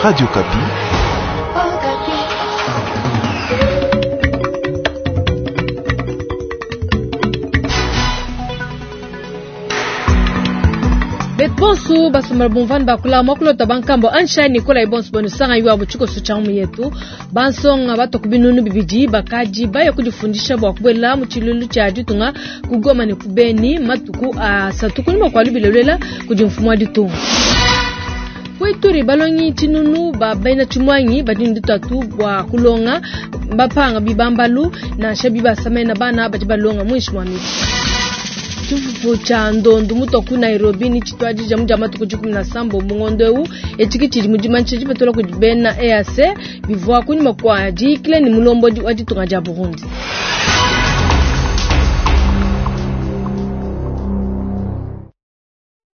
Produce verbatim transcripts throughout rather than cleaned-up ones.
Radio Okapi. Betu basomba bumvani bakula mwakulota bankambo ansha Nikola ibonso bonu sanga yuwa butshikoso tsha mu yetu bansonga batoku binunu bibidi bakaji baye kudifundisha bua kubuela mu tshilulu tshia ditunga kugoma ne kubeni matuku asatu kunyima kua lubilelela kudi mfumu wa ditunga. Kuituri balongi tshinunu ba bena tshimwangi badi ne ditatu bua kulonga bapanga bibambalu nansha bibasamena bana badi balonga muinshi mua miti. Tshifufu tsha ndondu mutoku ku Nairobi ni tshituadija mu dia matuku dikumi na sambo mu ngondo eu etshiki tshidi mu dimanyisha dipetula kudi bena E A C bivua kunyima kua diyikila ne mulombodi wa ditunga dia Burundi.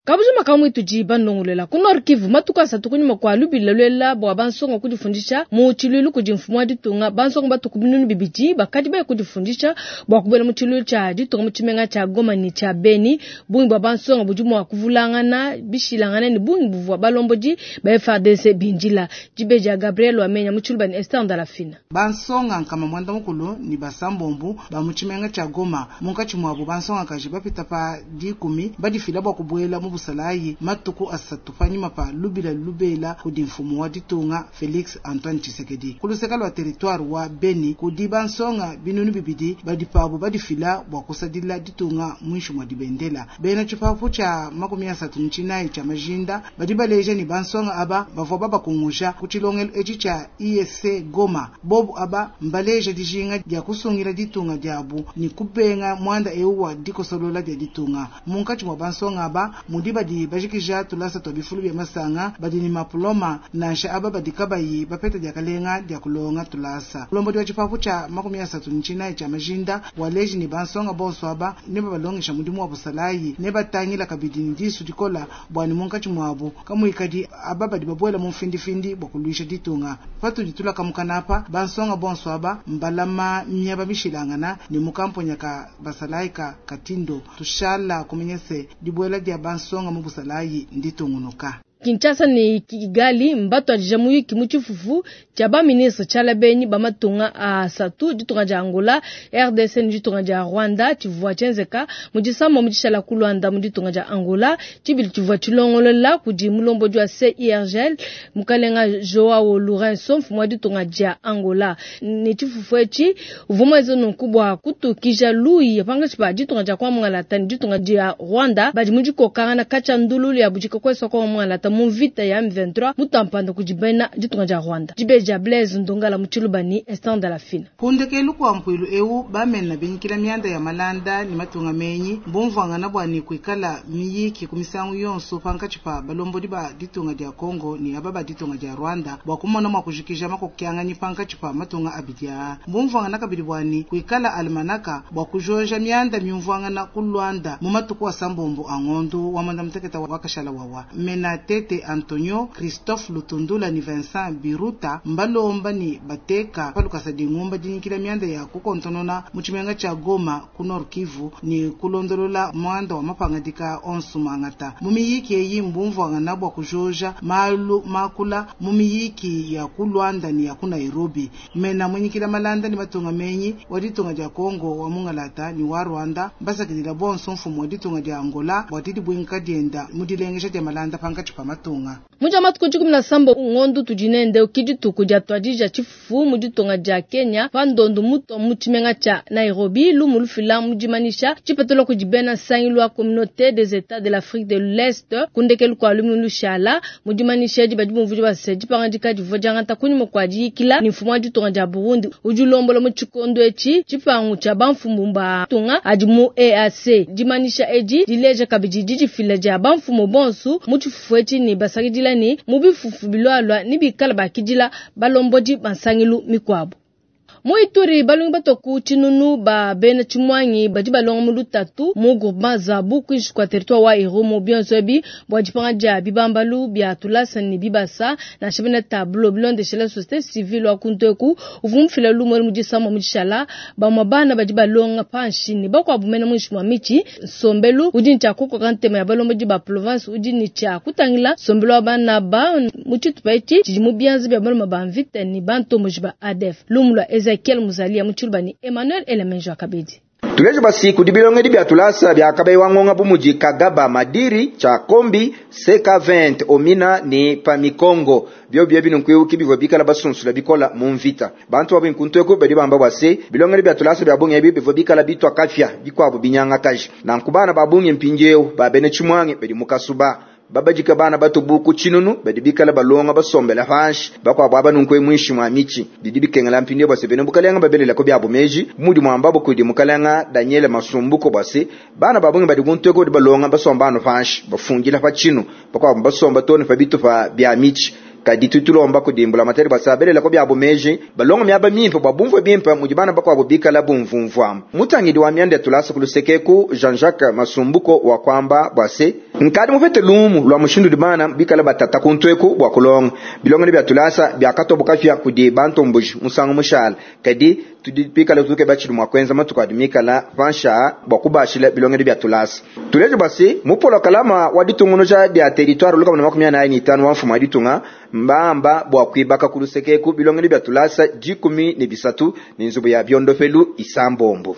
Kabujima kamwe tudi bandongolela ku Nord Kivu matuku asatu kunyima kua lubila lwela bua bansonga kudifundisha mu tshilulu kudi mfumu wa ditunga bansonga batuku binunu bibidi bakadi baye kudifundisha bua kubuela mu tshilulu tshia ditunga mu tshimenga tshia Goma ne tshia Beni. Bungi bua bansonga budi mua kuvulangana bishilangana ne bungi buvua balombodi ba F A D C bindila. Dibeji ya Gabriel Wamenya mu tshiluba ne Esther Ndalafina. Bansonga nkama mwanda mukulu ni basambombu ba mu tshimenga tshia Goma munkatshi muabu bansonga kaji bapita pa dikumi badifila bua kubuela mu busalayi matuku asatu panyima pa lubila lubela kudi mfumu wa ditunga Felix Antoine Tshisekedi. Kuluseka lwa territoire wa Beni kudi bansonga binunu bibidi badi pabo badifila bua kusadila ditunga muinshi mwa dibendela. Bena tshipapu tshia makumi asatu n'tshinayi tshia majinda badi baleja ni bansonga aba bavua babakunguja ku tshilongelo etshi tshia I S C Goma. Bobu aba mbaleja dijinga dia kusungila ditunga diabu ni kubenga mwanda eu wa dikosolola dia ditunga. Munkatshi mwa bansonga aba mudi badi bajikija tulasa twa bifulu bya masanga badi ni mapuloma nansha aba badi kabayi bapeta diakalenga dia kulonga tulasa. Mulombodi wa tshipapu tshia makumi asatu n'tshinayi tshia majinda waleji ni bansonga bonso aba ne babalongesha mudimu wa busalayi ne batangila kabidi ni disu dikola bua ni munkatshi muabu kamuikadi aba badi babuela mu mfindifindi bua kuluisha ditunga. Patudi tulaka apa bansonga bonso aba mbalama miaba mishilangana ni mukamponya ka basalayi ka Katindo tushala kumenyese dibuela dia bansonga mu busalayi nditungunuka. Kinshasa ni Kigali mbato adija muyiki mu tshifufu tshia ba ministre tshiala benyi ba matunga asatu ditunga dia Angola, R D C ni ditunga dia Rwanda tshivua tshienzeka mu disambo mu dishala ku Luanda mu ditunga dia Angola tshibili tshivua tshilongolola kudi mulombodi wa C I R G L mukalenga Joao Lourenço mfumu wa ditunga dia Angola ni tshifufu etshi uvua muenze nunku bua kutukija luyi pangatshi pa ditunga dia kwa Mwangalata ni ditunga dia Rwanda badi mu dikokangana katshia ndululu ya budika kwesa kwa Mwangalata mu vita ya M vingt-trois mutampanda kudibena ditunga dia Rwanda. Dibeja Blaise Ndongala mu Tshilubani Esther Ndalafina. Kundekelu kwa mpuilu eu bamena binyikila mianda ya malanda ni matunga menyi mbumvangana bua ni kuikala miyiki kumisangu yonso pankatshi pa balombodi ba ditunga dia Congo ni aba ba ditunga dia Rwanda bua kumona mua kujikija makokianganyi pankatshi pa matunga abidi aa. Mbumvangana kabidi bua ni kuikala almanaka bua kujoja mianda miumvangana ku Luanda mu matuku asambombo a ngondo wa mwanda muteketa wa kashala wawa. Mena Tete Antonio Christophe Lutundula ni Vincent Biruta mbalomba ni bateka palukasa dingumba dinyikila mianda ya kukontonona mu tshimenga tsha Goma ku Nord Kivu ni kulondolola mwanda wa mapangadika onso mangata mu miyiki eyi mbumvangana bua kujoja malu makula mu miyiki ya ku Luanda ni ya ku Nairobi. Mena munyikila malanda ni matunga menyi wa ditunga dia Congo wa Mungalata ni wa Rwanda mbasakidila bonso mfumu wa ditunga dia Angola bua didibwinka dienda mu dilengesha dia malanda pankatshi pa matunga. Muja matuku dikumi na sambo ngondo tudinende ukidituku dia twadija tshifufu mu ditunga dia Kenya pandondo muto mu tshimenga tsha Nairobi lumu lufila mu dimanisha tshipetelo kudi bena nsangilu wa communauté des États de l'Afrique de l'Est kundekelu kua lumu lushala mu dimanisha edi badi bumvudi base dipangadika divua diangata kunyima kua diyikila ni mfumu wa ditunga dia Burundi udi ulombola mu tshikondo etshi tshipangu tshia bamfumu ba tunga adi mu E A C. Dimanisha edi dileja kabidi didifila dia bamfumu bonso mu tshifufu etshi ni basakidila ni mu bifufu bilwalwa ni bikala bakidila balombodi bansangilu mikwabo. Mu Ituri balongi batoku tshinunu ba bena tshimwangi badi balonga mu lutatu mu groupement Zabu kwinshi kwa territoire wa Irumu bionso ebi bua dipanga dia bibambalu bia tulasa ne bibasa nansha bena tableau bilondeshela société civile wa kunteku uvua mufila lumu mu disama mu dishala bamwe bana badi balonga panshi ne bakuabu mena muinshi mwa mitshi nsombelu udi ne tshia kukoka ntema ya balombodi ba province udi ne tshia kutangila nsombelu wa bana ba mu tshitupa etshi tshidi mu bianza bia baloma ba mvita ne bantomboji ba A D F. Lumu lwa Ezekiel Muzalia mu tshiluba ni Emmanuel Elemenjo Akabedi. Tuleje basi kudibilongedi bya tulasa bya kabayi wangonga bumuji Kagaba Madiri cha Kombi C K vingt Omina ni Pamikongo byo byo bino nkwiuki bivyo bikala basunsula bikola mu mvita bantu babi nkuntweko badi bamba bwase bilongedi bya tulasa bya bunge ebi bivyo bikala bitwa kafya bikwabo binyanga kaji na nkubana babunge mpinjeo babene chimwange badi mukasuba babajika bana batubuku chinunu badi bikala balonga basombela panshi bakwabo abanunkwe mwishi mwa michi bidi bikengela mpindio base bene bukalenga babelela ko byabo meji mudi mwambabo kudi mukalenga Daniel Masumbuko base bana babunge badi guntweko di balonga basomba no panshi bafungila pa chinu bakwabo basomba tone pa bitu pa bya michi kadi tutulomba kudimbula materi basabelela ko byabo meji balonga myaba mimpe babumvwe bimpe mudi bana bakwabo bikala bumvumvwa mutangidi wa myande tulasa kulusekeku Jean-Jacques Masumbuko wa kwamba bwase nkadi mufete lumu lwa mushindu dibana bikala batata kuntweku bwa kulonga bilonga bya tulasa byakatoboka fya kudi bantombuji musango mushala kadi tudipikala tuke bachili mwa kwenza matuka adimikala pansha bwa kubashila bilonga bya tulasa tuleje basi mupola kalama waditungunuja bya territoire luka makumi anayi ni tano wa mfumo aditunga mbamba bwa kwibaka kulusekeku bilonga bya tulasa jikumi ne bisatu ni nzubu ya byondofelu isambombo.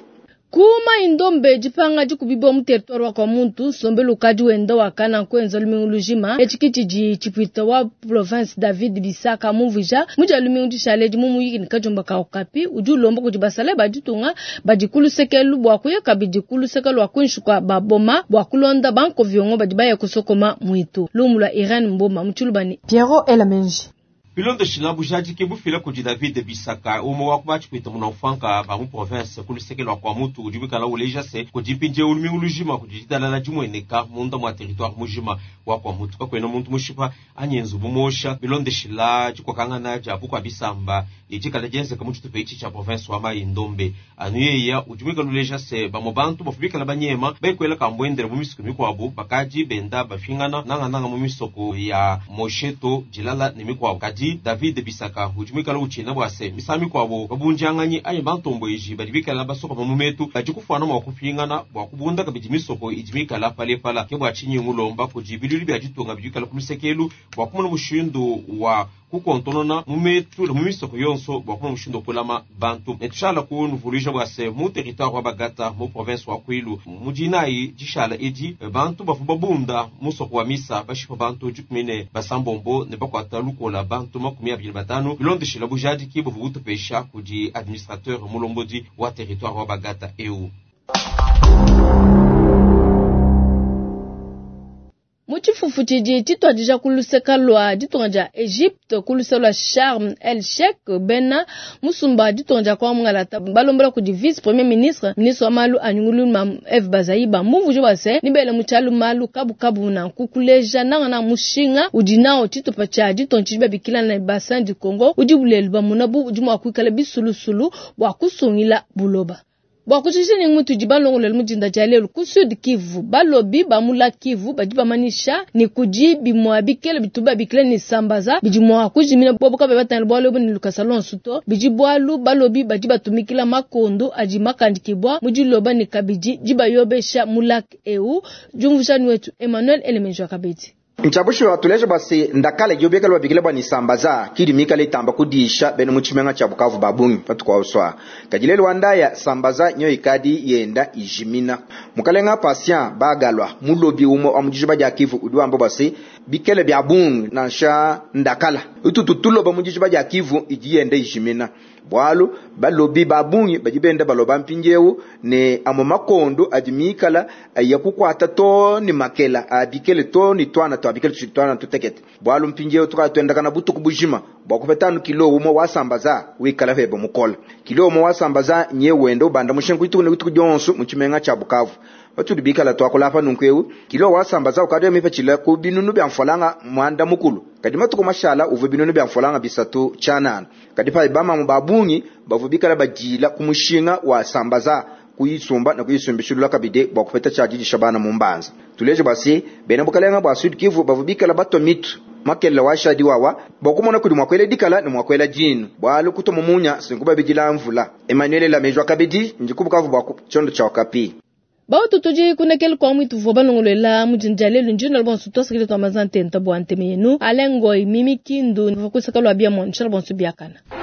Kuma indombe jipanga jikubibo mu territoire wa kwa muntu sombelu kadi wenda wakana kwenza lumingu lujima echikiti ji chipwita wa province David Bisaka muvija muja lumingu dishale mumu yiki nikajomba ka okapi udi ulomba kudi basale baditunga badikulu sekelu bwa kuya kabidi kulu sekelu wa kunshuka baboma bwa kulonda banko viongo badi baya kusokoma mwitu lumula Irene Mboma mutshulubani Piero Elamenji. Bilondeshila bujadiki bufila kudi David Bisaka umo wa kubachikwita munafanka ba mu province kulusekelo kwa mutu udi bikala uleja se kudi mpinje ulumingu lujima kudi didalala dimweneka munda mwa territoire mujima wa kwa mutu kakwena muntu mushipa anyenzu bumosha bilondeshila dikwakangana dia bukwa bisamba idikala dienzeka mu tshitupa etshi tshia province wa Mai-Ndombe anu yeya udi bikala uleja se bamwe bantu bafu bikala banyema baikwela kambwendela mu misuku mikwabu bakadi benda bafingana nangananga mu misoko ya Mosheto dilala ne mikwabu kadi David Bisaka udi mwikala uchina bwase misami kwabo babunjanganyi ayi bantombweji badi bikala basoka mu metu badi kufana mwa kupingana bwa kubunda kabidi misoko idi mikala palepala ke bwa chinyi ngulomba kudi biluli bya ditunga bidi kala kulusekelu bwa kumona mushindu wa kukontonona mu metu mu misoko yonso bwa kumona mushindu kulama bantu netushala kunuvuluija bwase mu territoire wa Bagata mu province wa Kwilu mudinayi dishala edi bantu bafu babunda musoko wa misa bashipa bantu dikumine basambombo ne bakwata lukola bantu makumi abiri batanu bilondeshela bujadiki buvu butupesha kudi administrateur mulombodi wa territoire wa Bagata eu. Muchifufu chidi chitwadija kuluseka lwa ditunga dia Egypte kulusa lwa Sharm El Sheikh bena musumba ditunga dia kwa mungalata balombola kudi vice premier ministre ministre wa malu anyungulu ma F Bazaiba mumvujo base nibele muchalu malu kabu kabu na kukuleja nanga na mushinga udi nao chitupa cha ditunga chidi babikila na bassin du Congo udi bulelu bamunabu udi mwa kuikala bisulusulu bwa kusungila buloba. Bwa kuchisha ni mtu jibalongo mujinda cha lelo ku Sud Kivu balobi bamula Kivu badi bamanisha ni kujibi mwa bikele bituba bikele ni sambaza bidi mwa kujimina bobo kabe batana bwalo ni lukasalon suto bidi bwalu balobi badi batumikila makondo aji makandikibwa mujiloba ni kabidi jibayobesha mulak eu jumvusha wetu Emmanuel Elemenjo kabidi. Nchabushu tuleje basi ndakale jobeka lwa bikile bwa nisambaza kidi mikale tamba kudisha beno muchimenga cha Bukavu babungi patukwa uswa kajilelo wandaya sambaza nyo ikadi yenda ijimina mukalenga patient bagalwa mulobi umo amujiba ja Kivu udiwambo basi bikele bya bungi nansha ndakala utututuloba mujiba ja Kivu ijiyenda ijimina bwalu balobi babungi bajibenda baloba mpinjewu ne amo makondo adimikala ayakukwata to ni makela abikele to ni twana to abikele twana tutekete bwalu mpinjewu tukatwenda kana butuku bujima bwakupetanu kilo umo wasambaza wikala febo mukola kilo umo wasambaza nye wendo banda mushenku itu ne kutu jonso muchimenga cha Bukavu Patudi bikala tuakula apa nunku eu, kilo wa sambaza ukadi mipatshila ku binunu bia mfualanga muanda mukulu. Kadi matuku mashala uvua binunu bia mfualanga bisatu tshianana. Kadi pa bamamu ba bungi bavua bikala badila ku mushinga wa sambaza kuyisumba na kuyisumbishilula kabidi bua kupeta tshia didisha bana mu mbanza. Tuleje bua se bena bukalenga bua Sud Kivu bavua bikala batua mitu makelela wa shadi wawa bua kumona kudi mua kuela dikala ne mua kuela dinu bualu kutuma munya sinkuba mvula. Emmanuel Lamejwa kabidi ndi ku Bukavu bua tshiondo tshia Okapi. Bautu tudi kunekele kwa mwitu vua balongolola mudinda lelu njino bonso twasakile twa mazantenta bua nteme yenu alengoi mimi kindu vua kusaka lwa bia mo nshala bonso biakana.